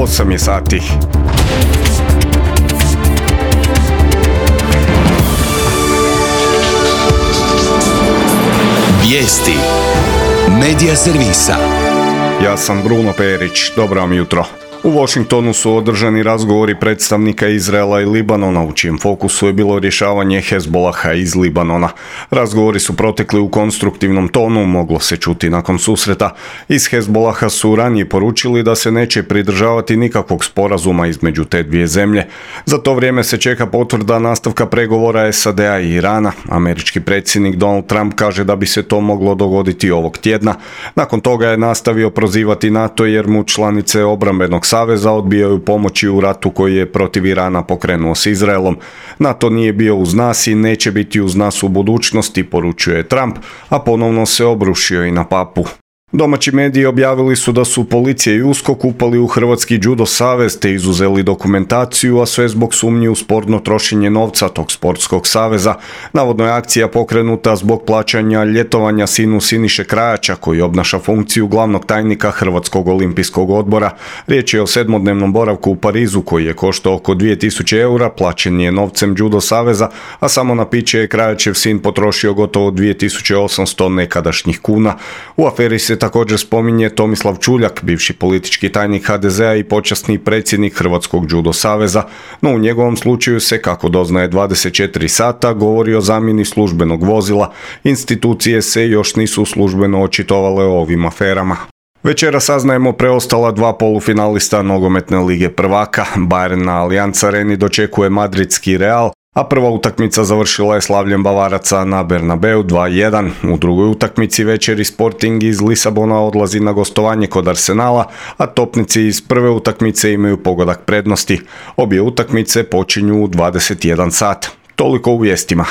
8 je sati. Vijesti Medija servisa. Ja sam Bruno Perić, dobro vam jutro. U Washingtonu su održani razgovori predstavnika Izraela i Libanona, u čijem fokusu je bilo rješavanje Hezbolaha iz Libanona. Razgovori su protekli u konstruktivnom tonu, moglo se čuti nakon susreta. Iz Hezbolaha su ranije poručili da se neće pridržavati nikakvog sporazuma između te dvije zemlje. Za to vrijeme se čeka potvrda nastavka pregovora SAD-a i Irana. Američki predsjednik Donald Trump kaže da bi se to moglo dogoditi ovog tjedna. Nakon toga je nastavio prozivati NATO jer mu članice obrambenog saveza odbijaju pomoći u ratu koji je protiv Irana pokrenuo s Izraelom. NATO nije bio uz nas i neće biti uz nas u budućnosti, poručuje Trump, a ponovno se obrušio i na papu. Domaći mediji objavili su da su policija i USKOK upali u Hrvatski judo savez te izuzeli dokumentaciju, a sve zbog sumnji u sporno trošenje novca tog sportskog saveza. Navodno je akcija pokrenuta zbog plaćanja ljetovanja sinu Siniše Krajača, koji obnaša funkciju glavnog tajnika Hrvatskog olimpijskog odbora. Riječ je o 7-dnevnom boravku u Parizu koji je koštao oko 2000 eura, plaćen je novcem judo saveza, a samo na piće je Krajačev sin potrošio gotovo 2800 nekadašnjih kuna. U aferi se također spominje Tomislav Čuljak, bivši politički tajnik HDZ-a i počasni predsjednik Hrvatskog judo saveza, no u njegovom slučaju se, kako doznaje 24 sata, govori o zamjeni službenog vozila. Institucije se još nisu službeno očitovale o ovim aferama. Večera saznajemo preostala dva polufinalista nogometne lige prvaka. Bayern na Allianz Areni dočekuje madridski Real, a prva utakmica završila je slavljem Bavaraca na Bernabeu 2-1. U drugoj utakmici večeri Sporting iz Lisabona odlazi na gostovanje kod Arsenala, a topnici iz prve utakmice imaju pogodak prednosti. Obje utakmice počinju u 21 sat. Toliko u vijestima.